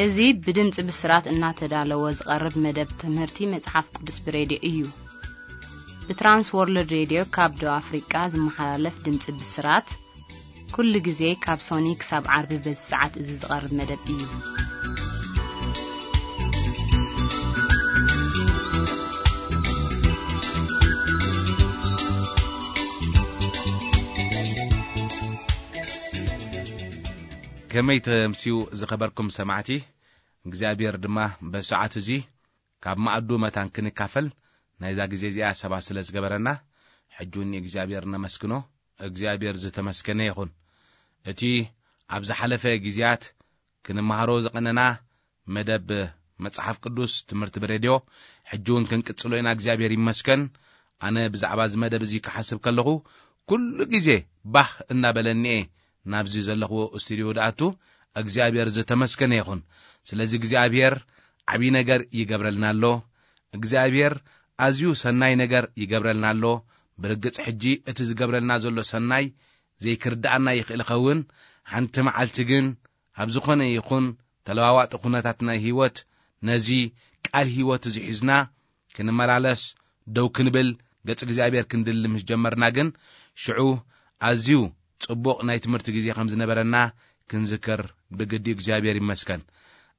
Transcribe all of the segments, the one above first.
እዚ ብድምፂ ብስራት እናተዳለወ ዝቐርብ መደብ ትምህርቲ መጽሓፍ ቅዱስ ብሬድዮ እዩ። ብትራንስ ወርልድ ሬድዮ ካብ ደቡብ ኣፍሪቃ ዝመሓላለፍ ድምፂ ብስራት፣ ኩሉ ግዜ ካብ ሶኒ ክሳብ ዓርቢ በዚ ሰዓት እዚ ዝቐርብ መደብ እዩ። ከመይ ተምስዩ ዝኸበርኩም ሰማዕቲ? እግዚኣብሔር ድማ በሰዓት እዚ ካብ መኣዱ መታን ክንካፈል ናይዛ ግዜ እዚኣ ሰባ ስለ ዝገበረና፣ ሕጂ እውን ንእግዚኣብሔር ነመስግኖ። እግዚኣብሔር ዝተመስገነ ይኹን። እቲ ኣብ ዝሓለፈ ግዜያት ክንመሃሮ ዝቐነና መደብ መጽሓፍ ቅዱስ ትምህርቲ ብሬድዮ ሕጂ እውን ክንቅጽሎ ኢና። እግዚኣብሔር ይመስገን። ኣነ ብዛዕባ እዚ መደብ እዚ ክሓስብ ከለኹ፣ ኩሉ ግዜ ባህ እናበለኒ እየ ናብዚ ዘለኽዎ ስቱድዮ ድኣቱ። እግዚኣብሔር ዝተመስገነ ይኹን። ስለዚ እግዚኣብሔር ዓብዪ ነገር ይገብረልና ኣሎ። እግዚኣብሔር ኣዝዩ ሰናይ ነገር ይገብረልና ኣሎ። ብርግጽ ሕጂ እቲ ዝገብረልና ዘሎ ሰናይ ዘይክርድኣና ይኽእል ይኸውን። ሓንቲ መዓልቲ ግን ኣብ ዝኾነ ይኹን ተለዋዋጢ ኩነታት ናይ ህይወት ነዚ ቃል ህይወት እዚ ሒዝና ክንመላለስ ደው ክንብል ገጽ እግዚኣብሔር ክንድሊ ምስ ጀመርና ግን ሽዑ ኣዝዩ ጽቡቕ ናይ ትምህርቲ ግዜ ከም ዝነበረና ክንዝክር ብግዲ እግዚኣብሔር ይመስገን።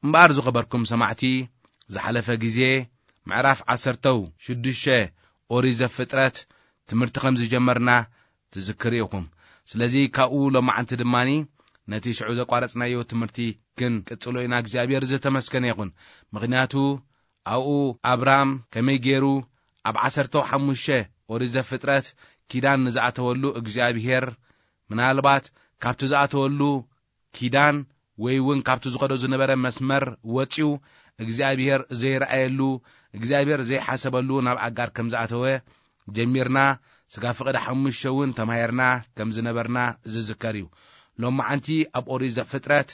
እምበኣር ዝኸበርኩም ሰማዕቲ፣ ዝሓለፈ ግዜ ምዕራፍ ዓሰርተው ሽዱሽተ ኦሪት ዘፍጥረት ትምህርቲ ከም ዝጀመርና ትዝክሩ ኢኹም። ስለዚ ካብኡ ሎማዓንቲ ድማኒ ነቲ ሽዑ ዘቋረጽናዮ ትምህርቲ ክንቅጽሎ ኢና። እግዚኣብሔር ዝተመስገነ ይኹን። ምኽንያቱ ኣብኡ ኣብራም ከመይ ገይሩ ኣብ ዓሰርተው ሓሙሽተ ኦሪት ዘፍጥረት ኪዳን ንዝኣተወሉ እግዚኣብሔር ምናልባት ካብቲ ዝኣተወሉ ኪዳን ወይ እውን ካብቲ ዝኸዶ ዝነበረ መስመር ወጺኡ እግዚኣብሔር ዘይረኣየሉ፣ እግዚኣብሔር ዘይሓሰበሉ ናብ ኣጋር ከም ዝኣተወ ጀሚርና፣ ስጋ ፍቕዲ ሓሙሽተ እውን ተማሂርና ከም ዝነበርና ዝዝከር እዩ። ሎማዓንቲ ኣብ ኦሪት ዘፍጥረት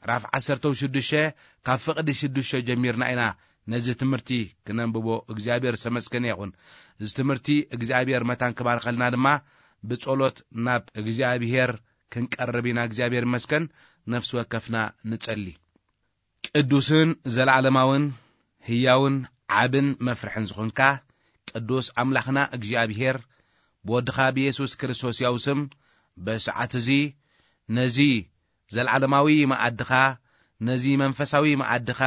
ምዕራፍ ዓሰርተው ሽዱሽተ ካብ ፍቕዲ ሽዱሽተ ጀሚርና ኢና ነዚ ትምህርቲ ክነንብቦ። እግዚኣብሔር ዝተመስገነ ይኹን። እዚ ትምህርቲ እግዚኣብሔር መታን ክባርኸልና ድማ ብጸሎት ናብ እግዚኣብሔር ክንቀርብ ኢና። እግዚኣብሔር ይመስገን። ነፍሲ ወከፍና ንጸሊ። ቅዱስን ዘለዓለማውን ህያውን ዓብን መፍርሕን ዝኾንካ ቅዱስ ኣምላኽና እግዚኣብሔር፣ ብወድኻ ብየሱስ ክርስቶስ ያው ስም በሰዓት እዚ ነዚ ዘለዓለማዊ መኣድኻ፣ ነዚ መንፈሳዊ መኣድኻ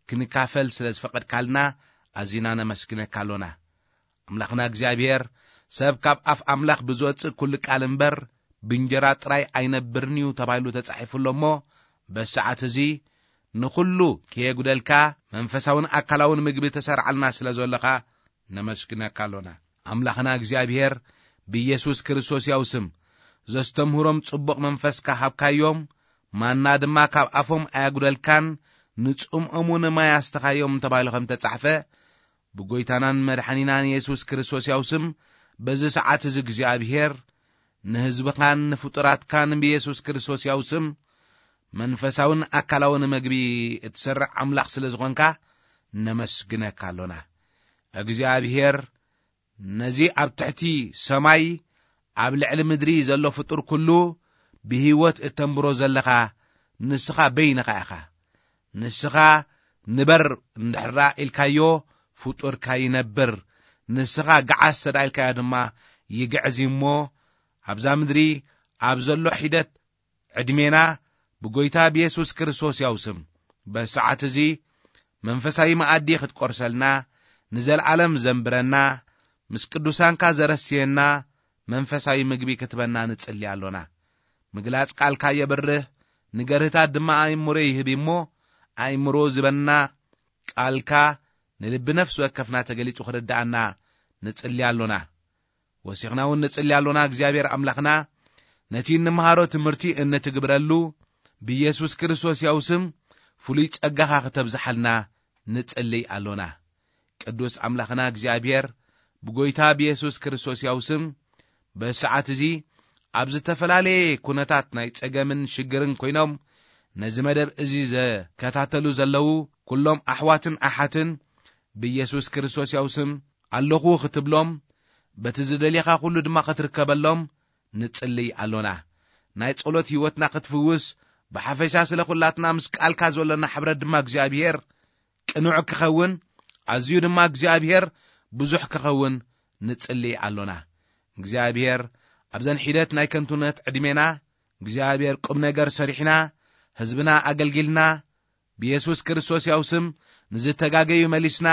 ክንካፈል ስለ ዝፈቐድካልና ኣዚና ነመስግነካ ኣሎና። ኣምላኽና እግዚኣብሔር፣ ሰብ ካብ ኣፍ ኣምላኽ ብዝወጽእ ኩሉ ቃል እምበር ብእንጀራ ጥራይ ኣይነብርን እዩ ተባሂሉ ተጻሒፉ ኣሎ እሞ፣ በሰዓት እዚ ንኹሉ ከየጉደልካ መንፈሳውን ኣካላውን ምግቢ ተሰርዓልና ስለ ዘለኻ ነመስግነካ ኣሎና። ኣምላኽና እግዚኣብሔር፣ ብኢየሱስ ክርስቶስ ያው ስም ዘስተምህሮም ጽቡቕ መንፈስካ ሃብካዮም፣ ማና ድማ ካብ ኣፎም ኣያጉደልካን፣ ንጽምኦም እውን ማይ ኣስተኻዮም ተባሂሉ ከም ተጻሕፈ፣ ብጎይታናን መድሓኒናን የሱስ ክርስቶስ ያው ስም፣ በዚ ሰዓት እዚ እግዚኣብሔር፣ ንህዝብኻን ንፍጡራትካን ብየሱስ ክርስቶስ ያው ስም፣ መንፈሳውን ኣካላውን መግቢ እትሰርዕ ኣምላኽ ስለ ዝኾንካ፣ ነመስግነካ ኣሎና። እግዚኣብሔር፣ ነዚ ኣብ ትሕቲ ሰማይ ኣብ ልዕሊ ምድሪ ዘሎ ፍጡር ኩሉ ብህይወት እተንብሮ ዘለኻ ንስኻ በይንኻ ኢኻ። ንስኻ ንበር እንድሕራ ኢልካዮ ፍጡርካ ይነብር። ንስኻ ግዓዝ ተዳ ኢልካዮ ድማ ይግዕዝ እዩ እሞ ኣብዛ ምድሪ ኣብ ዘሎ ሒደት ዕድሜና ብጎይታ ብየሱስ ክርስቶስ ያው ስም በሰዓት እዚ መንፈሳዊ መኣዲ ክትቆርሰልና፣ ንዘለዓለም ዘንብረና፣ ምስ ቅዱሳንካ ዘረስየና መንፈሳዊ ምግቢ ክትበና ንጽሊ ኣሎና። ምግላጽ ቃልካ የብርህ፣ ንገርህታት ድማ ኣእምሮ ይህብ እሞ፣ ኣእምሮ ዝበና ቃልካ ንልቢ ነፍሲ ወከፍና ተገሊጹ ክርድኣና ንጽሊ ኣሎና። ወሲኽና እውን ንጽሊ ኣሎና። እግዚኣብሔር ኣምላኽና፣ ነቲ እንመሃሮ ትምህርቲ እንትግብረሉ፣ ብኢየሱስ ክርስቶስ ያው ስም ፍሉይ ጸጋኻ ክተብዝሓልና ንጽሊ ኣሎና። ቅዱስ ኣምላኽና እግዚኣብሔር፣ ብጎይታ ብኢየሱስ ክርስቶስ ያው ስም፣ በሰዓት እዚ ኣብ ዝተፈላለየ ኩነታት ናይ ጸገምን ሽግርን ኮይኖም ነዚ መደብ እዚ ዘከታተሉ ዘለዉ ኩሎም ኣሕዋትን ኣሓትን ብኢየሱስ ክርስቶስ ያው ስም ኣለኹ ክትብሎም፣ በቲ ዝደልየኻ ኩሉ ድማ ክትርከበሎም ንጽልይ ኣሎና። ናይ ጸሎት ህይወትና ክትፍውስ፣ ብሓፈሻ ስለ ኩላትና ምስ ቃልካ ዘሎና ሕብረት ድማ እግዚኣብሔር ቅኑዕ ክኸውን፣ ኣዝዩ ድማ እግዚኣብሔር ብዙሕ ክኸውን ንጽሊ ኣሎና። እግዚኣብሔር ኣብዘን ሒደት ናይ ከንቱነት ዕድሜና እግዚኣብሔር ቁም ነገር ሰሪሕና፣ ህዝብና ኣገልጊልና፣ ብየሱስ ክርስቶስ ያው ስም ንዝተጋገዩ መሊስና፣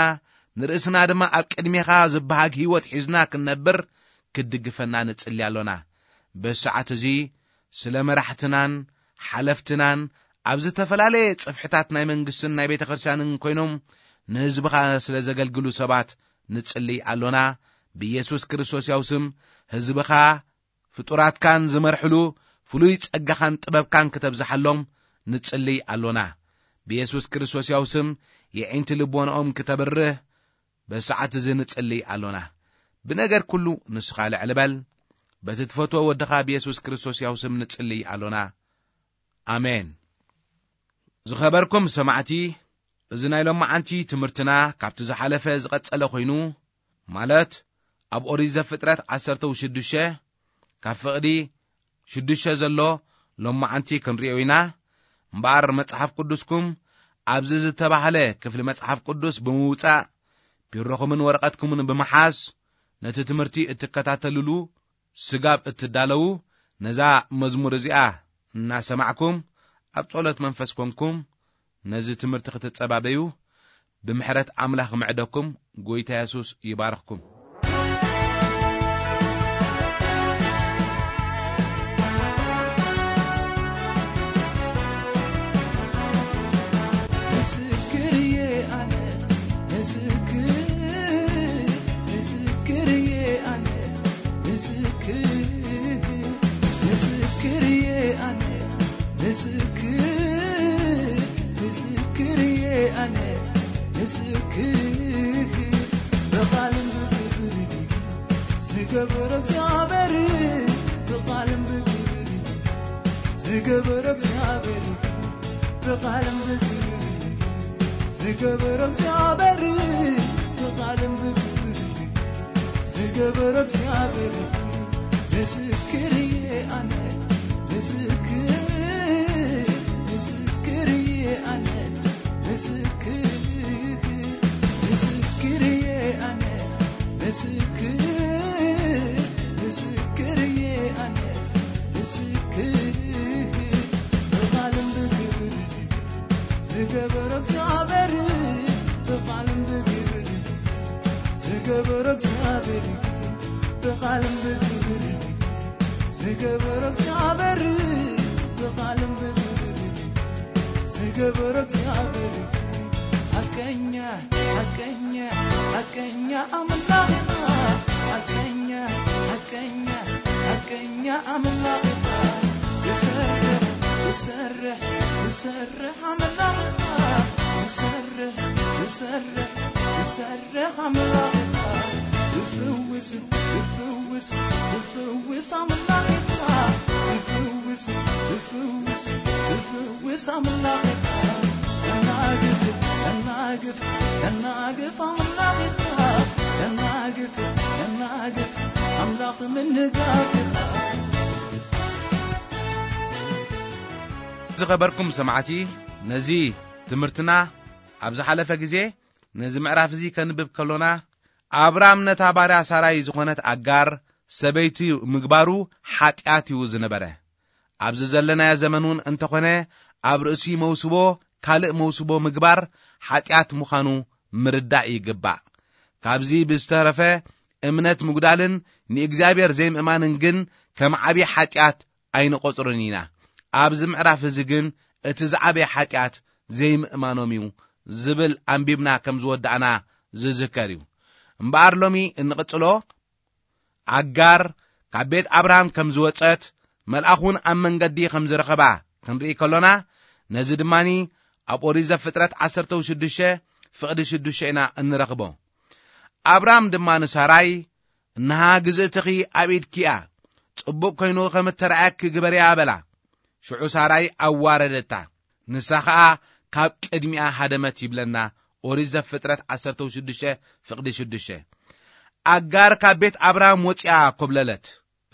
ንርእስና ድማ ኣብ ቅድሜኻ ዝበሃግ ህይወት ሒዝና ክንነብር ክትድግፈና ንጽሊ ኣሎና። በዚ ሰዓት እዚ ስለ መራሕትናን ሓለፍትናን ኣብ ዝተፈላለየ ጽፍሕታት ናይ መንግስትን ናይ ቤተ ክርስቲያንን ኮይኖም ንህዝብኻ ስለ ዘገልግሉ ሰባት ንጽሊ ኣሎና። ብየሱስ ክርስቶስ ያው ስም ህዝብኻ ፍጡራትካን ዝመርሕሉ ፍሉይ ጸጋኻን ጥበብካን ክተብዝሓሎም ንጽሊ ኣሎና። ብየሱስ ክርስቶስ ያው ስም የዒንቲ ልቦንኦም ክተብርህ በሰዓት እዚ ንጽሊ ኣሎና። ብነገር ኩሉ ንስኻ ልዕል በል። በቲ ትፈትዎ ወድኻ ብየሱስ ክርስቶስ ያው ስም ንጽሊ ኣሎና። ኣሜን። ዝኸበርኩም ሰማዕቲ፣ እዚ ናይ ሎማዓንቲ ትምህርትና ካብቲ ዝሓለፈ ዝቐጸለ ኮይኑ፣ ማለት ኣብ ኦሪት ዘፍጥረት ዓሰርተ ሽዱሽተ ካብ ፍቕዲ ሽዱሽተ ዘሎ ሎማዓንቲ ክንሪኦ ኢና። እምበኣር መጽሓፍ ቅዱስኩም ኣብዚ ዝተባህለ ክፍሊ መጽሓፍ ቅዱስ ብምውጻእ፣ ቢሮኹምን ወረቐትኩምን ብምሓዝ፣ ነቲ ትምህርቲ እትከታተልሉ ስጋብ እትዳለዉ፣ ነዛ መዝሙር እዚኣ እናሰማዕኩም፣ ኣብ ጸሎት መንፈስ ኮንኩም ነዚ ትምህርቲ ክትጸባበዩ፣ ብምሕረት ኣምላኽ ምዕደኩም። ጎይታ የሱስ ይባርኽኩም። ምስክር እየ ኣነ፣ ምስክር፣ ምስክር እየ ኣነ፣ ምስክር፣ ምስክር እየ ኣነ፣ ምስክር፣ ምስክር እየ ኣነ፣ ምስክር። ብቓልን ብግብርን ዝገበረ እግዚኣብሔር፣ ብቓልን ብግብርን ዝገበረ እግዚኣብሔር፣ ብቓልን ብግብርን ዝገበረ እግዚኣብሔር፣ ብቓልን ብግብርን ዝገበረ እግዚኣብሔር፣ ምስክር እየ ኣነ፣ ምስክር፣ ምስክር እየ ኣነ፣ ምስክር፣ ምስክር እየ ኣነ፣ ምስክር፣ ምስክር እየ ኣነ፣ ምስክር። ብቓልን ብግብርን ዝገበረ እግዚኣብሔር፣ ብቓልን ብግብርን ዝገበረ እግዚኣብሔር፣ ብቓልን ብግብርን ዝገበረ እግዚኣብሔር፣ ብቓልን ብግብርን ዝገበረ እግዚኣብሔር፣ ሓቀኛ፣ ሓቀኛ፣ ሓቀኛ ኣምላኽ ኢኻ። ሓቀኛ፣ ሓቀኛ፣ ሓቀኛ ኣምላኽ ኢኻ። ትሰርሕ፣ ትሰርሕ፣ ትሰርሕ ኣምላኽ ኢኻ። ትሰርሕ፣ ትሰርሕ፣ ትሰርሕ ኣምላኽ ኢኻ። ትፍውስ፣ ትፍውስ፣ ትፍውስ ኣምላኽ ኢኻ። ትፍውስ፣ ትፍውስ፣ ትፍውስ ኣምላኽ ኢኻ። ተናግፍ፣ ተናግፍ፣ ተናግፍ ኣምላኽ ኢኻ። ተናግፍ፣ ተናግፍ ኣምላኽ ምንጋፍ ኢኻ። ዝኸበርኩም ሰማዕቲ፣ ነዚ ትምህርትና ኣብ ዝሓለፈ ግዜ ነዚ ምዕራፍ እዚ ከንብብ ከሎና፣ ኣብራም ነታ ባርያ ሳራይ ዝኾነት ኣጋር ሰበይቱ ምግባሩ ሓጢኣት እዩ ዝነበረ። ኣብዚ ዘለናዮ ዘመን እውን እንተኾነ፣ ኣብ ርእሲ መውስቦ ካልእ መውስቦ ምግባር ሓጢኣት ምዃኑ ምርዳእ ይግባእ። ካብዚ ብዝተረፈ፣ እምነት ምጉዳልን ንእግዚኣብሔር ዘይምእማንን ግን ከም ዓብዪ ሓጢኣት ኣይንቖጽርን ኢና። ኣብዚ ምዕራፍ እዚ ግን እቲ ዝዓበየ ሓጢኣት ዘይምእማኖም እዩ ዝብል ኣንቢብና ከም ዝወዳእና ዝዝከር እዩ። እምበኣር ሎሚ እንቕጽሎ፣ ኣጋር ካብ ቤት ኣብርሃም ከም ዝወጸት፣ መልኣኹን ኣብ መንገዲ ከም ዝረኸባ ክንርኢ ከሎና፣ ነዚ ድማኒ ኣብ ኦሪት ዘፍጥረት ዓሰርተ ሽዱሽተ ፍቕዲ ሽዱሽተ ኢና እንረኽቦ። ኣብርሃም ድማ ንሳራይ፣ "እንሃ ግዝእትኺ ኣብ ኢድኪ እያ፣ ጽቡቕ ኮይኑ ከም እተራእየኪ ግበርያ" በላ። ሽዑ ሳራይ ኣዋረደታ፣ ንሳ ኸኣ ካብ ቅድሚኣ ሃደመት ይብለና ኦሪት ዘፍጥረት ዓሰርተ ሽዱሽተ ፍቕዲ ሽዱሽተ። ኣጋር ካብ ቤት ኣብርሃም ወጺኣ ኮብለለት።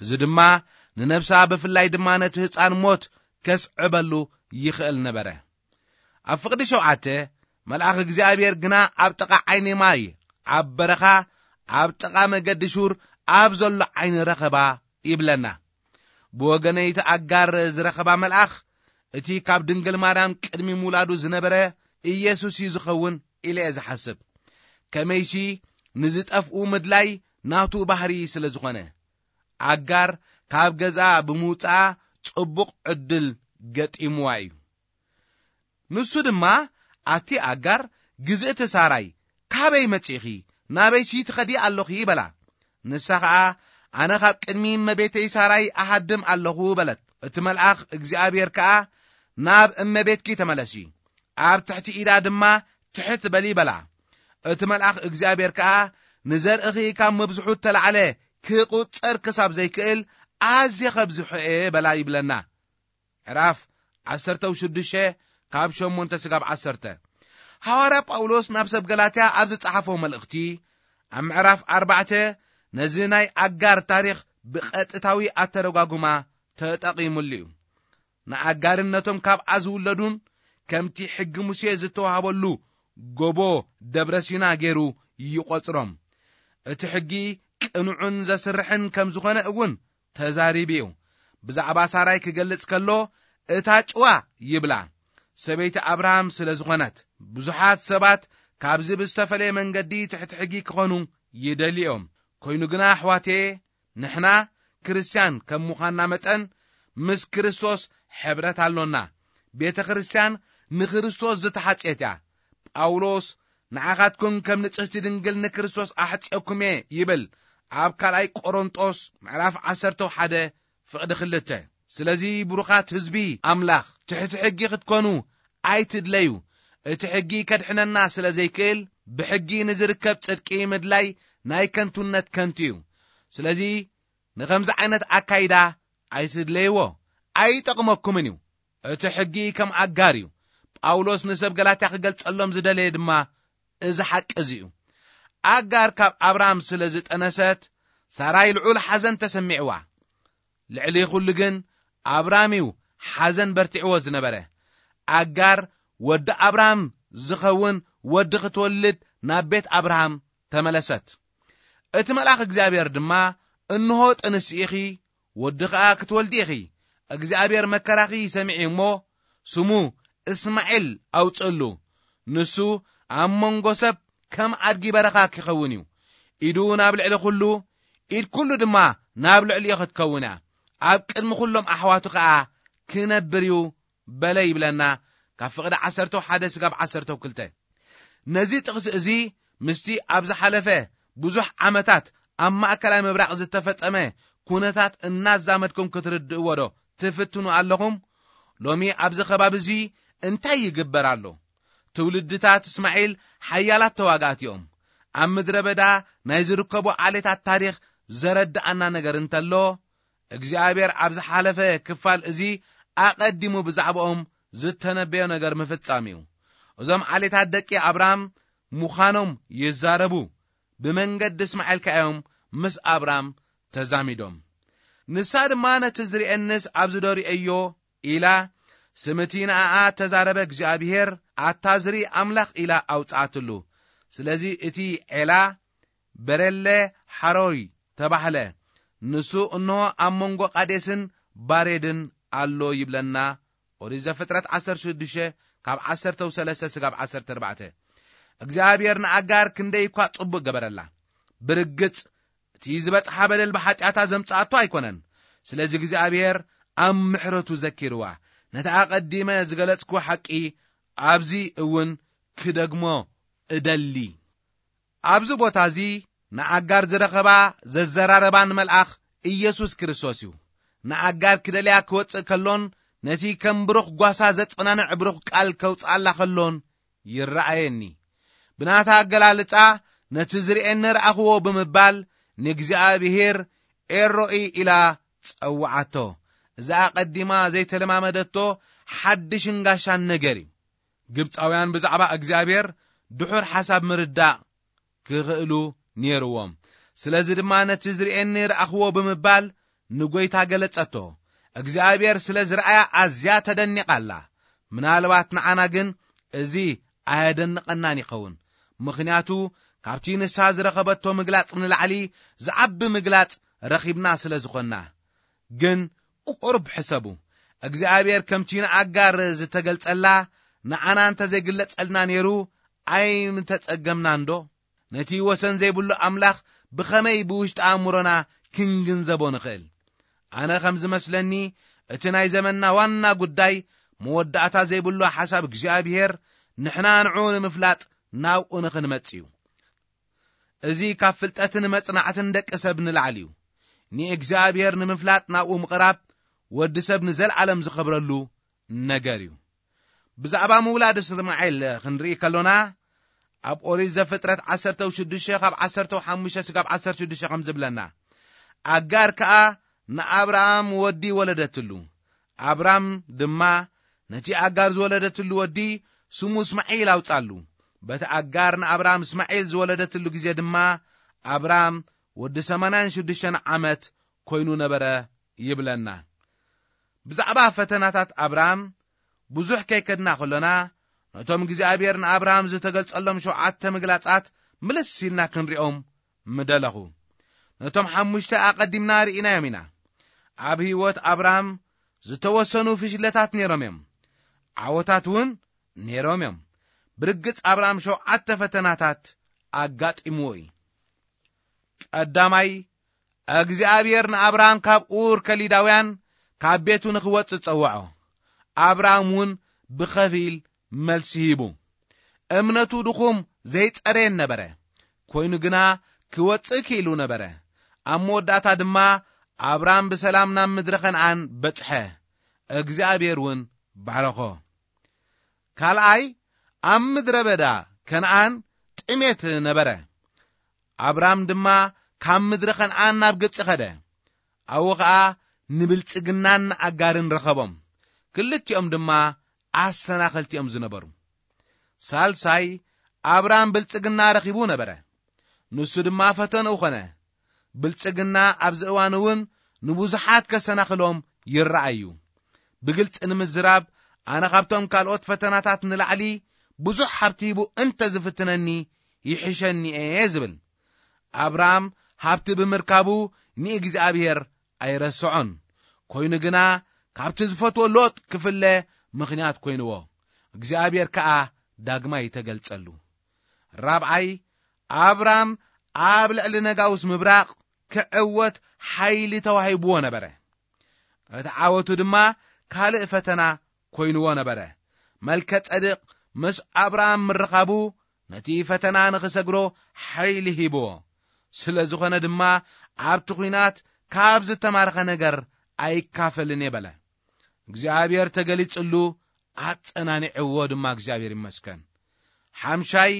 እዚ ድማ ንነብሳ ብፍላይ ድማ ነቲ ህጻን ሞት ከስዕበሉ ይኽእል ነበረ። ኣብ ፍቕዲ ሸውዓተ፣ መልኣኽ እግዚኣብሔር ግና ኣብ ጥቓ ዓይኒ ማይ፣ ኣብ በረኻ፣ ኣብ ጥቓ መገዲ ሹር፣ ኣብ ዘሎ ዓይኒ ረኸባ ይብለና። ብወገነይቲ ኣጋር ዝረኸባ መልኣኽ፣ እቲ ካብ ድንግል ማርያም ቅድሚ ምውላዱ ዝነበረ ኢየሱስ እዩ ዝኸውን ኢለ እየ ዝሓስብ። ከመይሲ ንዝጠፍኡ ምድላይ ናቱ ባህሪ ስለ ዝኾነ፣ ኣጋር ካብ ገዛ ብምውፅኣ ጽቡቕ ዕድል ገጢምዋ እዩ። ንሱ ድማ፣ ኣቲ ኣጋር፣ ግዝእቲ ሳራይ፣ ካበይ መጺእኺ? ናበይሲ ትኸዲ ኣለኺ? በላ። ንሳ ኸኣ፣ ኣነ ካብ ቅድሚ እመቤተይ ሳራይ እሃድም ኣለኹ በለት። እቲ መልኣኽ እግዚኣብሔር ከኣ፣ ናብ እመቤትኪ ተመለሲ፣ ኣብ ትሕቲ ኢዳ ድማ ትሕት በሊ በላ። እቲ መልኣኽ እግዚኣብሔር ከኣ፣ ንዘርእኺ ካብ ምብዝሑ እተላዕለ ክቑጸር ክሳብ ዘይክእል ኣዝየ ኸብዝሖ እየ በላ ይብለና። ምዕራፍ ዓሰርተ ሽዱሽተ ካብ ሸሞንተ ስጋብ ዓሰርተ። ሃዋርያ ጳውሎስ ናብ ሰብ ገላትያ ኣብ ዝጸሓፎ መልእኽቲ፣ ኣብ ምዕራፍ ኣርባዕተ ነዚ ናይ ኣጋር ታሪኽ ብቐጥታዊ ኣተረጓጉማ ተጠቒሙሉ እዩ። ንኣጋርን ነቶም ካብኣ ዝውለዱን ከምቲ ሕጊ ሙሴ ዝተዋህበሉ ጎቦ ደብረ ሲና ገይሩ ይቖጽሮም። እቲ ሕጊ ቅኑዕን ዘስርሕን ከም ዝኾነ እውን ተዛሪቡ እዩ። ብዛዕባ ሳራይ ክገልጽ ከሎ፣ እታ ጭዋ ይብላ፣ ሰበይቲ ኣብርሃም ስለ ዝኾነት። ብዙሓት ሰባት ካብዚ ብዝተፈለየ መንገዲ ትሕቲ ሕጊ ክኾኑ ይደልዩ እዮም። ኮይኑ ግና፣ ኣሕዋተየ፣ ንሕና ክርስትያን ከም ምዃንና መጠን፣ ምስ ክርስቶስ ሕብረት ኣሎና። ቤተ ክርስትያን ንክርስቶስ ዝተሓጽየት እያ። ጳውሎስ፣ ንዓኻትኩም ከም ንጽህቲ ድንግል ንክርስቶስ ኣሕጽየኩም እየ ይብል፣ ኣብ ካልኣይ ቆሮንጦስ ምዕራፍ ዓሰርተ ሓደ ፍቕዲ ክልተ። ስለዚ ብሩኻት ህዝቢ ኣምላኽ፣ ትሕቲ ሕጊ ክትኮኑ ኣይትድለዩ። እቲ ሕጊ ከድሕነና ስለ ዘይክእል፣ ብሕጊ ንዝርከብ ጽድቂ ምድላይ ናይ ከንቱነት ከንቱ እዩ። ስለዚ ንኸምዚ ዓይነት ኣካይዳ ኣይትድለይዎ፣ ኣይጠቕመኩምን እዩ። እቲ ሕጊ ከም ኣጋር እዩ። ጳውሎስ ንሰብ ገላትያ ክገልጸሎም ዝደለየ ድማ እዚ ሓቂ እዚ እዩ። ኣጋር ካብ ኣብራም ስለ ዝጠነሰት፣ ሳራይ ልዑል ሓዘን ተሰሚዕዋ። ልዕሊ ኩሉ ግን ኣብራም እዩ ሓዘን በርቲዕዎ ዝነበረ። ኣጋር ወዲ ኣብራም ዝኸውን ወዲ ክትወልድ ናብ ቤት ኣብርሃም ተመለሰት። እቲ መልኣኽ እግዚኣብሔር ድማ፣ "እንሆ ጥንሲ ኢኺ፣ ወዲ ኸኣ ክትወልዲ ኢኺ። እግዚኣብሔር መከራኺ ሰሚዑ እሞ፣ ስሙ እስማዒል ኣውጽእሉ። ንሱ ኣብ መንጎ ሰብ ከም ኣድጊ በረኻ ክኸውን እዩ። ኢዱ ናብ ልዕሊ ኩሉ፣ ኢድ ኩሉ ድማ ናብ ልዕሊኡ ክትከውን እያ። ኣብ ቅድሚ ኩሎም ኣሕዋቱ ኸኣ ክነብር እዩ" በለ ይብለና፣ ካብ ፍቕዲ ዓሰርተ ሓደ ስጋብ ዓሰርተ ክልተ። ነዚ ጥቕሲ እዚ ምስቲ ኣብ ዝሓለፈ ብዙሕ ዓመታት ኣብ ማእከላይ ምብራቕ ዝተፈጸመ ኩነታት እናዛመድኩም ክትርድእዎ ዶ ትፍትኑ ኣለኹም? ሎሚ ኣብዚ ከባቢ እዚ እንታይ ይግበር ኣሎ? ትውልድታት እስማዒል ሓያላት ተዋጋእቲ እዮም። ኣብ ምድረ በዳ ናይ ዝርከቡ ዓሌታት ታሪኽ ዘረድኣና ነገር እንተሎ፣ እግዚኣብሔር ኣብ ዝሓለፈ ክፋል እዚ ኣቐዲሙ ብዛዕባኦም ዝተነበዮ ነገር ምፍጻም እዩ። እዞም ዓሌታት ደቂ ኣብራም ምዃኖም ይዛረቡ። ብመንገዲ እስማዒል ከኣ እዮም ምስ ኣብራም ተዛሚዶም። ንሳ ድማ፣ "ነቲ ዝርእየንስ ኣብዚ ዶ ርእየዮ?" ኢላ፣ ስም እቲ ንኣኣ እተዛረበ እግዚኣብሄር፣ "ኣታ ዝርኢ ኣምላኽ" ኢላ ኣውጽኣትሉ። ስለዚ እቲ ዔላ በሬለ ሓሮይ ተባህለ። ንሱ እንሆ ኣብ መንጎ ቃዴስን ባሬድን ኣሎ ይብለና ኦሪት ዘፍጥረት ዓሰርተ ሽዱሽተ ካብ ዓሰርተ ሰለስተ ስጋብ ዓሰርተ ኣርባዕተ። እግዚኣብሔር ንኣጋር ክንደይ እኳ ጽቡቕ ገበረላ። ብርግጽ እቲ ዝበጽሓ በደል ብሓጢኣታ ዘምጽኣቶ ኣይኮነን። ስለዚ እግዚኣብሔር ኣብ ምሕረቱ ዘኪርዋ። ነቲ ኣቐዲመ ዝገለጽኩዎ ሓቂ ኣብዚ እውን ክደግሞ እደሊ። ኣብዚ ቦታ እዚ ንኣጋር ዝረኸባ ዘዘራረባን መልኣኽ ኢየሱስ ክርስቶስ እዩ። ንኣጋር ክደልያ ክወጽእ ከሎን ነቲ ከም ብሩኽ ጓሳ ዘጸናንዕ ብሩኽ ቃል ከውጽኣላ ከሎን ይረኣየኒ። ብናታ ኣገላልጻ ነቲ ዝርእየኒ ረኣኽዎ ብምባል ንእግዚኣብሔር ኤሮኢ ኢላ ጸውዓቶ። እዚ ኣቐዲማ ዘይተለማመደቶ ሓድሽን ጋሻን ነገር እዩ። ግብጻውያን ብዛዕባ እግዚኣብሔር ድሑር ሓሳብ ምርዳእ ክኽእሉ ነይርዎም። ስለዚ ድማ ነቲ ዝርእየኒ ረኣኽዎ ብምባል ንጎይታ ገለጸቶ። እግዚኣብሔር ስለ ዝረኣያ ኣዝያ ተደኒቓ ኣላ። ምናልባት ንዓና ግን እዚ ኣየደንቐናን ይኸውን። ምኽንያቱ ካብቲ ንሳ ዝረኸበቶ ምግላጽ ንላዕሊ ዝዓቢ ምግላጽ ረኺብና ስለ ዝኾንና። ግን ቁሩብ ሕሰቡ። እግዚኣብሔር ከምቲ ንኣጋር ዝተገልጸላ ንዓና እንተ ዘይግለጸልና ነይሩ ኣይምተጸገምናን ዶ? ነቲ ወሰን ዘይብሉ ኣምላኽ ብኸመይ ብውሽጢ ኣእምሮና ክንግንዘቦ ንኽእል? ኣነ ከም ዝመስለኒ እቲ ናይ ዘመንና ዋና ጉዳይ መወዳእታ ዘይብሉ ሓሳብ እግዚኣብሔር ንሕና ንዕኡ ንምፍላጥ ናብኡ ንኽንመጽእ እዩ። እዚ ካብ ፍልጠትን መጽናዕትን ደቂ ሰብ ንላዕሊ እዩ። ንእግዚኣብሔር ንምፍላጥ ናብኡ ምቕራብ ወዲ ሰብ ንዘለዓለም ዝኸብረሉ ነገር እዩ። ብዛዕባ ምውላድ እስማኤል ክንርኢ ከሎና ኣብ ኦሪት ዘፍጥረት ዓሰርተ ሽዱሽተ ካብ ዓሰርተ ሓሙሽተ ስጋብ ዓሰርተ ሽዱሽተ ከም ዝብለና፣ ኣጋር ከኣ ንኣብርሃም ወዲ ወለደትሉ። ኣብራም ድማ ነቲ ኣጋር ዝወለደትሉ ወዲ ስሙ እስማዒል ኣውጻሉ። በቲ ኣጋር ንኣብራም እስማዒል ዝወለደትሉ ግዜ ድማ ኣብራም ወዲ ሰማንያን ሽዱሽተን ዓመት ኮይኑ ነበረ ይብለና። ብዛዕባ ፈተናታት ኣብራም ብዙሕ ከይከድና ከሎና፣ ነቶም እግዚኣብሔር ንኣብራም ዝተገልጸሎም ሸውዓተ ምግላጻት ምልስ ኢልና ክንሪኦም ምደለኹ። ነቶም ሓሙሽተ ኣቐዲምና ርኢናዮም ኢና። ኣብ ህይወት ኣብራም ዝተወሰኑ ፍሽለታት ነይሮም እዮም። ዓወታት እውን ነይሮም እዮም። ብርግጽ ኣብራም ሸውዓተ ፈተናታት ኣጋጢምዎ እዩ። ቀዳማይ፣ እግዚኣብሔር ንኣብራም ካብ ኡር ከሊዳውያን ካብ ቤቱ ንኽወጽእ ጸውዖ። ኣብራም እውን ብኸፊል መልሲ ሂቡ። እምነቱ ድኹም ዘይጸረየን ነበረ። ኮይኑ ግና ክወጽእ ክኢሉ ነበረ። ኣብ መወዳእታ ድማ ኣብራም ብሰላም ናብ ምድሪ ከነኣን በጽሐ። እግዚኣብሔር እውን ባረኾ። ካልኣይ፣ ኣብ ምድረ በዳ ከነኣን ጥሜት ነበረ። ኣብራም ድማ ካብ ምድሪ ከነኣን ናብ ግብጺ ኸደ። ኣብኡ ኸኣ ንብልጽግናን ንኣጋርን ረኸቦም። ክልቲኦም ድማ ኣሰናኸልቲ እዮም ዝነበሩ። ሳልሳይ፣ ኣብራም ብልጽግና ረኺቡ ነበረ። ንሱ ድማ ፈተንኡ ኾነ። ብልጽግና ኣብዚ እዋን እውን ንብዙሓት ከሰናኽሎም ይረኣዩ። ብግልጺ ንምዝራብ፣ ኣነ ካብቶም ካልኦት ፈተናታት ንላዕሊ ብዙሕ ሃብቲ ሂቡ እንተ ዝፍትነኒ ይሕሸኒ እየ ዝብል። ኣብርሃም ሃብቲ ብምርካቡ ንእግዚኣብሔር ኣይረስዖን። ኮይኑ ግና ካብቲ ዝፈትዎ ሎጥ ክፍለ ምኽንያት ኮይንዎ። እግዚኣብሔር ከኣ ዳግማይ ተገልጸሉ። ራብዓይ፣ ኣብራም ኣብ ልዕሊ ነጋውስ ምብራቕ ክዕወት ሓይሊ ተዋሂብዎ ነበረ። እቲ ዓወቱ ድማ ካልእ ፈተና ኮይንዎ ነበረ። መልከ ጸድቕ ምስ ኣብራም ምርኻቡ ነቲ ፈተና ንኽሰግሮ ሓይሊ ሂብዎ። ስለ ዝኾነ ድማ ኣብቲ ኲናት ካብ ዝተማርኸ ነገር ኣይካፈልን እየ በለ። እግዚኣብሔር ተገሊጽሉ ኣጸናኒዕዎ ድማ እግዚኣብሔር ይመስገን። ሓምሻይ፣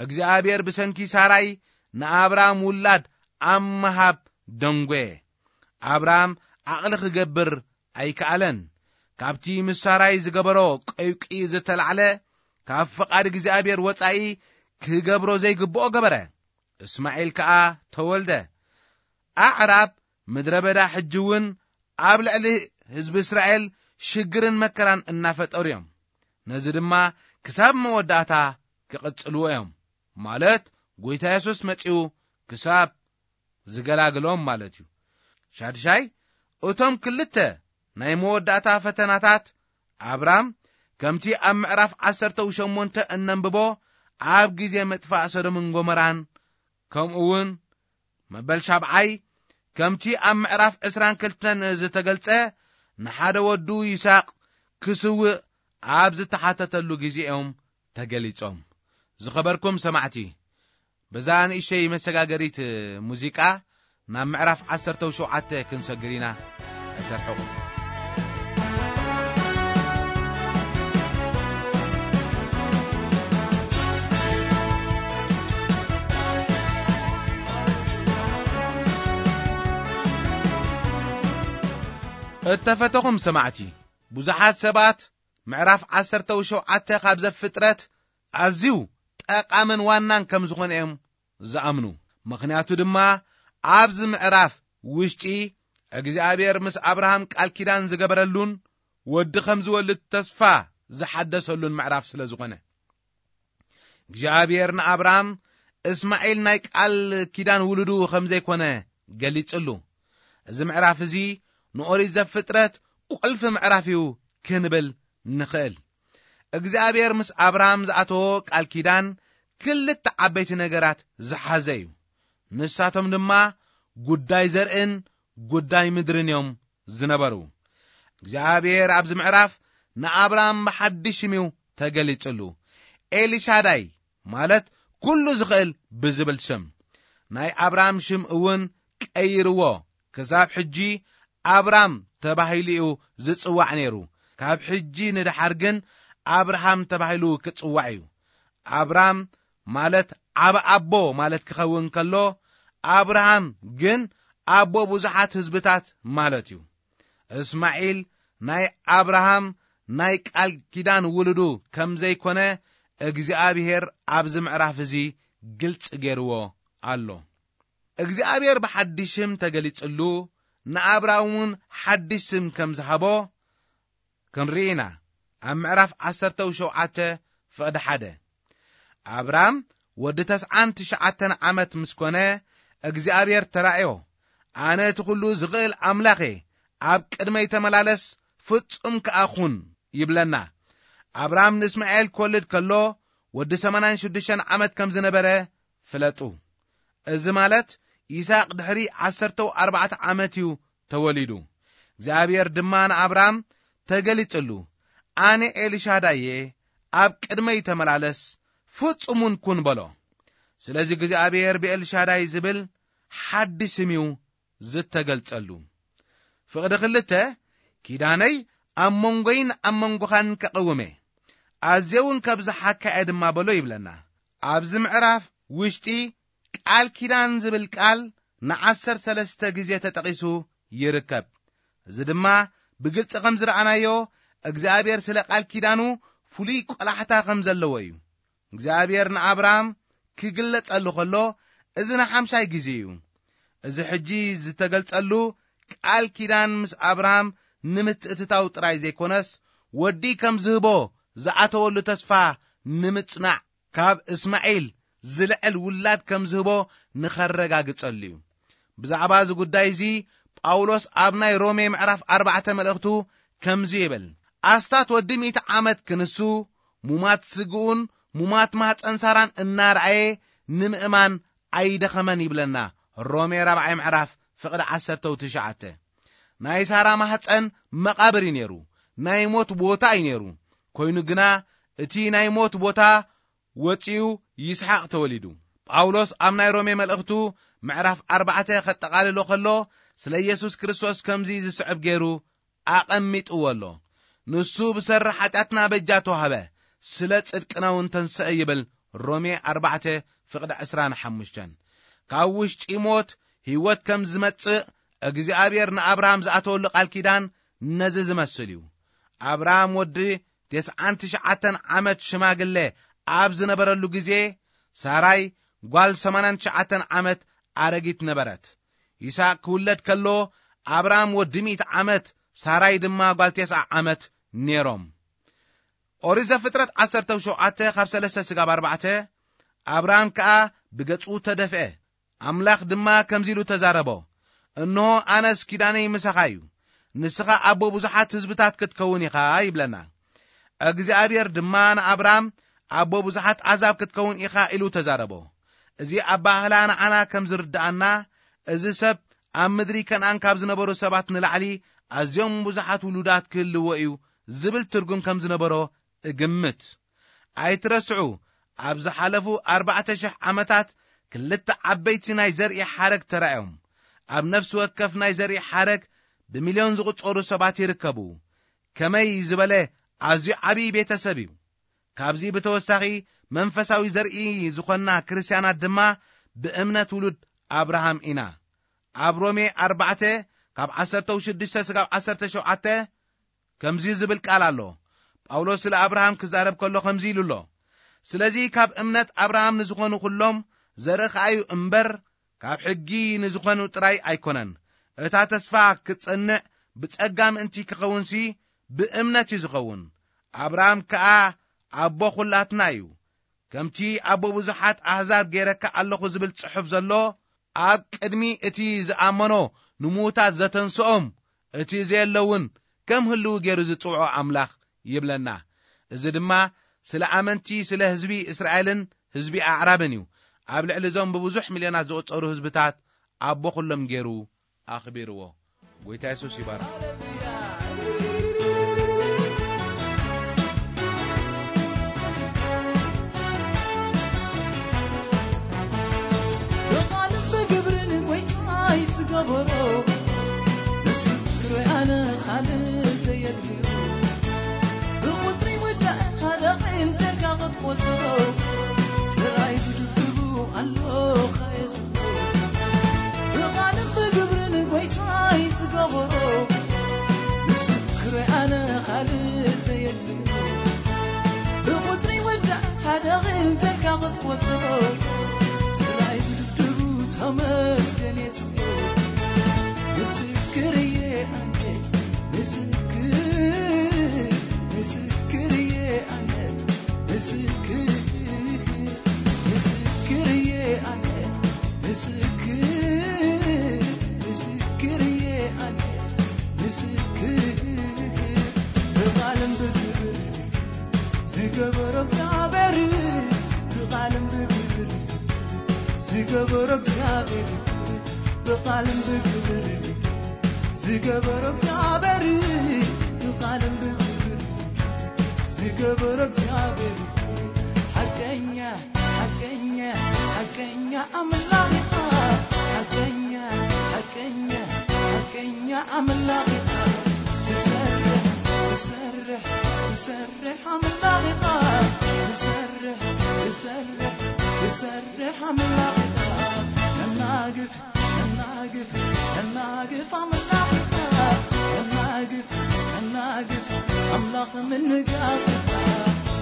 እግዚኣብሔር ብሰንኪ ሳራይ ንኣብራም ውላድ ኣብ ምሃብ ደንጎየ። ኣብራም ዓቕሊ ክገብር ኣይከኣለን። ካብቲ ምስ ሳራይ ዝገበሮ ቀውቂ ዝተላዕለ ካብ ፍቓድ እግዚኣብሔር ወጻኢ ክገብሮ ዘይግብኦ ገበረ። እስማዒል ከኣ ተወልደ። ኣዕራብ ምድረ በዳ ሕጂ እውን ኣብ ልዕሊ ህዝቢ እስራኤል ሽግርን መከራን እናፈጠሩ እዮም። ነዚ ድማ ክሳብ መወዳእታ ክቕጽልዎ እዮም። ማለት ጎይታ የሱስ መጺኡ ክሳብ ዝገላግሎም ማለት እዩ። ሻድሻይ፣ እቶም ክልተ ናይ መወዳእታ ፈተናታት ኣብራም ከምቲ ኣብ ምዕራፍ ዓሰርተ ሸሞንተ እነንብቦ ኣብ ግዜ ምጥፋእ ሰዶምን ጎመራን ከምኡ እውን መበል ሻብዓይ ከምቲ ኣብ ምዕራፍ ዕስራን ክልተን ዝተገልጸ ንሓደ ወዱ ይስሐቅ ክስውእ ኣብ ዝተሓተተሉ ግዜ እዮም ተገሊጾም። ዝኸበርኩም ሰማዕቲ፣ በዛ ንእሽተይ መሰጋገሪት ሙዚቃ ናብ ምዕራፍ ዓሰርተ ሸውዓተ ክንሰግር ኢና። ኣይተርሕቑ። እተፈተኹም ሰማዕቲ፣ ብዙሓት ሰባት ምዕራፍ ዓሰርተ ሸውዓተ ካብ ዘፍጥረት ኣዝዩ ጠቓምን ዋናን ከም ዝኾነ እዮም ዝኣምኑ። ምኽንያቱ ድማ ኣብዚ ምዕራፍ ውሽጢ እግዚኣብሔር ምስ ኣብርሃም ቃል ኪዳን ዝገበረሉን ወዲ ከም ዝወልድ ተስፋ ዝሓደሰሉን ምዕራፍ ስለ ዝኾነ፣ እግዚኣብሔር ንኣብርሃም እስማዒል ናይ ቃል ኪዳን ውሉዱ ከም ዘይኮነ ገሊጽሉ። እዚ ምዕራፍ እዚ ንኦሪት ዘፍጥረት ቁልፊ ምዕራፍ እዩ ክንብል ንኽእል። እግዚኣብሔር ምስ ኣብርሃም ዝኣተዎ ቃል ኪዳን ክልተ ዓበይቲ ነገራት ዝሓዘ እዩ። ንሳቶም ድማ ጉዳይ ዘርእን ጉዳይ ምድርን እዮም ዝነበሩ። እግዚኣብሔር ኣብዚ ምዕራፍ ንኣብርሃም ብሓድሽ ሽም እዩ ተገሊጽሉ። ኤልሻዳይ ማለት ኩሉ ዝኽእል ብዝብል ሽም። ናይ ኣብርሃም ሽም እውን ቀይርዎ። ክሳብ ሕጂ ኣብራም ተባሂሉ እዩ ዝጽዋዕ ነይሩ። ካብ ሕጂ ንድሓር ግን ኣብርሃም ተባሂሉ ክጽዋዕ እዩ። ኣብራም ማለት ዓቢ ኣቦ ማለት ክኸውን ከሎ፣ ኣብርሃም ግን ኣቦ ብዙሓት ህዝብታት ማለት እዩ። እስማዒል ናይ ኣብርሃም ናይ ቃል ኪዳን ውሉዱ ከም ዘይኮነ እግዚኣብሔር ኣብዚ ምዕራፍ እዚ ግልጺ ገይርዎ ኣሎ። እግዚኣብሔር ብሓድሽ ስም ተገሊጽሉ፣ ንኣብርሃም እውን ሓድሽ ስም ከም ዝሃቦ ክንርኢ ኢና። ኣብ ምዕራፍ ዓሰርተ ሸውዓተ ፍቕዲ ሓደ፣ ኣብራም ወዲ ተስዓን ትሽዓተን ዓመት ምስ ኮነ፣ እግዚኣብሔር ተራእዮ፣ "ኣነ እቲ ኩሉ ዝኽእል ኣምላኽ እየ፣ ኣብ ቅድመይ ተመላለስ፣ ፍጹም ከኣ ኩን" ይብለና። ኣብራም ንእስማኤል ክወልድ ከሎ፣ ወዲ ሰማንያን ሽዱሽተን ዓመት ከም ዝነበረ ፍለጡ። እዚ ማለት፣ ይስሐቅ ድሕሪ ዓሰርተ ኣርባዕተ ዓመት እዩ ተወሊዱ። እግዚኣብሔር ድማ ንኣብራም ተገሊጽሉ፣ "ኣነ ኤልሻዳይ እየ፣ ኣብ ቅድመይ ተመላለስ፣ ፍጹም እውን ኩን" በሎ። ስለዚ እግዚኣብሔር ብኤልሻዳይ ዝብል ሓድሽ ስም እዩ ዝተገልጸሉ። ፍቕዲ ክልተ፣ "ኪዳነይ ኣብ መንጎይን ኣብ መንጎኻን ከቐውም እየ፣ ኣዝየ እውን ከብዝሓካ እየ ድማ" በሎ ይብለና። ኣብዚ ምዕራፍ ውሽጢ ቃል ኪዳን ዝብል ቃል ንዓሰርተ ሰለስተ ግዜ ተጠቒሱ ይርከብ። እዚ ድማ ብግልጺ ከም ዝረኣናዮ፣ እግዚኣብሔር ስለ ቃል ኪዳኑ ፍሉይ ቆላሕታ ከም ዘለዎ እዩ። እግዚኣብሔር ንኣብርሃም ክግለጸሉ ከሎ፣ እዚ ንሓምሻይ ግዜ እዩ። እዚ ሕጂ ዝተገልጸሉ ቃል ኪዳን ምስ ኣብርሃም ንምትእትታው ጥራይ ዘይኮነስ፣ ወዲ ከም ዝህቦ ዝኣተወሉ ተስፋ ንምጽናዕ፣ ካብ እስማዒል ዝልዕል ውላድ ከም ዝህቦ ንኸረጋግጸሉ እዩ። ብዛዕባ እዚ ጉዳይ እዚ፣ ጳውሎስ ኣብ ናይ ሮሜ ምዕራፍ ኣርባዕተ መልእኽቱ ከምዚ ይብል፣ "ኣስታት ወዲ ሚእቲ ዓመት ክንሱ፣ ሙማት ስግኡን ሙማት ማህፀን ሳራን እናረኣየ ንምእማን ኣይደኸመን" ይብለና። ሮሜ ራብዓይ ምዕራፍ ፍቕዲ ዓሰርተ ትሽዓተ። ናይ ሳራ ማህፀን መቓብር እዩ ነይሩ፣ ናይ ሞት ቦታ እዩ ነይሩ። ኮይኑ ግና፣ እቲ ናይ ሞት ቦታ ወጺኡ ይስሐቅ ተወሊዱ። ጳውሎስ ኣብ ናይ ሮሜ መልእኽቱ ምዕራፍ ኣርባዕተ ከጠቓልሎ ከሎ፣ ስለ ኢየሱስ ክርስቶስ ከምዚ ዝስዕብ ገይሩ ኣቐሚጥዎ ኣሎ። "ንሱ ብሰሪ ሓጢኣትና በጃ ተዋህበ፣ ስለ ጽድቅና እውን ተንሰአ" ይብል ሮሜ ኣርባዕተ ፍቕዲ ዕስራን ሓሙሽተን። ካብ ውሽጢ ሞት ህይወት ከም ዝመጽእ እግዚኣብሔር ንኣብርሃም ዝኣተወሉ ቃል ኪዳን ነዚ ዝመስል እዩ። ኣብርሃም ወዲ ተስዓን ትሽዓተን ዓመት ሽማግለ ኣብ ዝነበረሉ ግዜ፣ ሳራይ ጓል ሰማንያን ትሽዓተን ዓመት ኣረጊት ነበረት። ይስሐቅ ክውለድ ከሎ፣ ኣብርሃም ወዲ ሚእቲ ዓመት፣ ሳራይ ድማ ጓል ተስዓ ዓመት ነይሮም። ኦሪት ዘፍጥረት ዓሰርተ ሸውዓተ ካብ ሰለስተ ስጋብ ኣርባዕተ፣ ኣብርሃም ከኣ ብገጹ ተደፍአ። ኣምላኽ ድማ ከምዚ ኢሉ ተዛረቦ፣ "እንሆ፣ ኣነስ ኪዳነይ ምሳኻ እዩ፣ ንስኻ ኣቦ ብዙሓት ህዝብታት ክትከውን ኢኻ" ይብለና። እግዚኣብሔር ድማ ንኣብራም፣ "ኣቦ ብዙሓት ኣሕዛብ ክትከውን ኢኻ" ኢሉ ተዛረቦ። እዚ ኣባህላ ንዓና ከም ዝርድኣና፣ እዚ ሰብ ኣብ ምድሪ ከነኣን ካብ ዝነበሩ ሰባት ንላዕሊ ኣዝዮም ብዙሓት ውሉዳት ክህልዎ እዩ ዝብል ትርጉም ከም ዝነበሮ እግምት። ኣይትረስዑ፣ ኣብ ዝሓለፉ ኣርባዕተ ሽሕ ዓመታት ክልተ ዓበይቲ ናይ ዘርኢ ሓረግ ተራእዮም። ኣብ ነፍሲ ወከፍ ናይ ዘርኢ ሓረግ ብሚልዮን ዝቑጸሩ ሰባት ይርከቡ። ከመይ ዝበለ ኣዝዩ ዓብዪ ቤተሰብ እዩ! ካብዚ ብተወሳኺ፣ መንፈሳዊ ዘርኢ ዝኾንና ክርስትያናት ድማ ብእምነት ውሉድ ኣብርሃም ኢና። ኣብ ሮሜ ኣርባዕተ ካብ ዓሰርተ ሽዱሽተ ስጋብ ዓሰርተ ሸውዓተ ከምዚ ዝብል ቃል ኣሎ። ጳውሎስ ስለ ኣብርሃም ክዛረብ ከሎ ከምዚ ኢሉ ኣሎ፣ "ስለዚ ካብ እምነት ኣብርሃም ንዝኾኑ ኩሎም ዘርኢ ኸኣ እዩ እምበር፣ ካብ ሕጊ ንዝኾኑ ጥራይ ኣይኮነን። እታ ተስፋ ክትጸንዕ ብጸጋ ምእንቲ ክኸውንሲ ብእምነት እዩ ዝኸውን። ኣብርሃም ከኣ ኣቦ ኹላትና እዩ። ከምቲ ኣቦ ብዙሓት ኣህዛብ ገይረካ ኣለኹ ዝብል ጽሑፍ ዘሎ፣ ኣብ ቅድሚ እቲ ዝኣመኖ ንምዉታት ዘተንስኦም፣ እቲ ዘየለ እውን ከም ህልው ገይሩ ዝጽውዖ ኣምላኽ ይብለና። እዚ ድማ ስለ ኣመንቲ፣ ስለ ህዝቢ እስራኤልን ህዝቢ ኣዕራብን እዩ። ኣብ ልዕሊ እዞም ብብዙሕ ሚልዮናት ዝቑጸሩ ህዝብታት ኣቦ ኩሎም ገይሩ ኣኽቢርዎ። ጎይታ የሱስ ይባርክ። ብቓልን ብግብርን ጎይታይ ዝገበሮ፣ ምስክር ኣነ ካልእ ዘየድልዮ። ብቑጽሪ ወዳእ ሓደ ዒንተካ ክትቆጽሮ፣ ጥራይ ብድብድቡ ኣሎ ኻየሱ። ብቓልን ብግብርን ጎይታይ ዝገበሮ፣ ምስክር ኣነ ካልእ ዘየድልዮ። ብቑጽሪ ወዳእ ሓደ ዒንተካ ክትቆጽሮ፣ ጥራይ ብድብድቡ ተመስገን የጽ ምስክር እየ ኣነ፣ ምስክር፣ ምስክር እየ ኣነ፣ ምስክር፣ ምስክር እየ ኣነ፣ ምስክር፣ ምስክር እየ ኣነ፣ ምስክር። ብቓልን ብግብር ዝገበሮ እግዚኣብሔር፣ ብቓልን ብግብር ዝገበሮ እግዚኣብሔር፣ ብቓልን ብግብር ዝገበሮ እግዚኣብሔር፣ ብቓልን ብግብር ዝገበሮ እግዚኣብሔር፣ ሓቀኛ፣ ሓቀኛ፣ ሓቀኛ ኣምላኽ ኢኻ። ሓቀኛ፣ ሓቀኛ፣ ሓቀኛ ኣምላኽ ኢኻ። ትሰርሕ፣ ትሰርሕ፣ ትሰርሕ ኣምላኽ ኢኻ። ትሰርሕ፣ ትሰርሕ፣ ትሰርሕ ኣምላኽ ኢኻ። መናግፍ፣ መናግፍ፣ መናግፍ ኣምላኽ ኢኻ። መናግፍ፣ መናግፍ ኣምላኽ ምንጋፍ ኢኻ።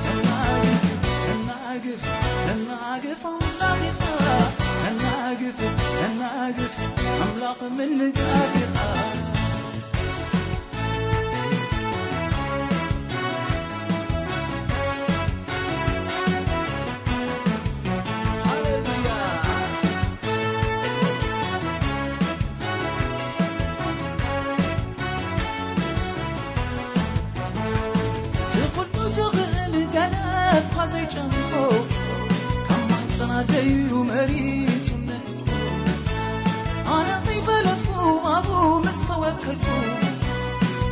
መናግፍ፣ መናግፍ፣ መናግፍ ኣምላኽ ኢኻ። መናግፍ፣ መናግፍ ኣምላኽ ምንጋፍ ኢኻ። ትኹሉ ዝኽእል ገለ እኳ ዘይጨንቆ፣ ካብ ማህፀና ደዩ መሪጹ ነጥቆ። ኣነ ከይፈለጥኩ ኣብኡ ምስ ተወከልኩ፣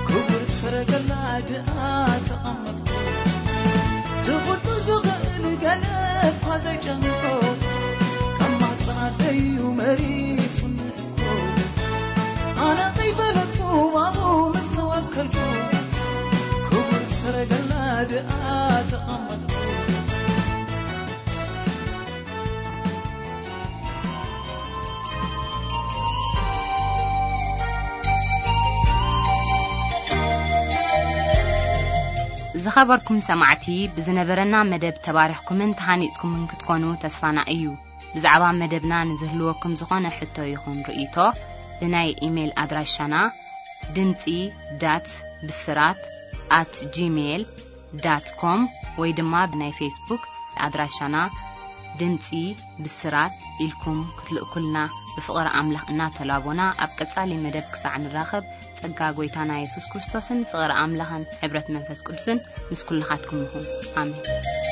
ክቡር ሰረገላ ድኣ ተቐመጥኩ። ትኹሉ ዝኽእል ገለ እኳ ዘይጨንቆ፣ ካብ ማህፀና ደዩ መሪጹ ነጥቆ። ኣነ ከይፈለጥኩ ኣብኡ ምስ ተወከልኩ፣ ክቡር ሰረገላ ድኣ ተቐመጥኩ። ዝኸበርኩም ሰማዕቲ፣ ብዝነበረና መደብ ተባሪኽኩምን ተሃኒጽኩምን ክትኮኑ ተስፋና እዩ። ብዛዕባ መደብና ንዝህልወኩም ዝኾነ ሕቶ ይኹን ርእይቶ፣ ብናይ ኢሜይል ኣድራሻና ድምጺ ዳት ብስራት ኣት ጂሜይል ዳት ኮም ወይ ድማ ብናይ ፌስቡክ ኣድራሻና ድምጺ ብስራት ኢልኩም ክትልእኩልና ብፍቕሪ ኣምላኽ እናተላቦና፣ ኣብ ቀጻሊ መደብ ክሳዕ ንራኸብ፣ ጸጋ ጐይታና የሱስ ክርስቶስን ፍቕሪ ኣምላኽን ሕብረት መንፈስ ቅዱስን ምስ ኩልኻትኩም ይኹን። ኣሜን።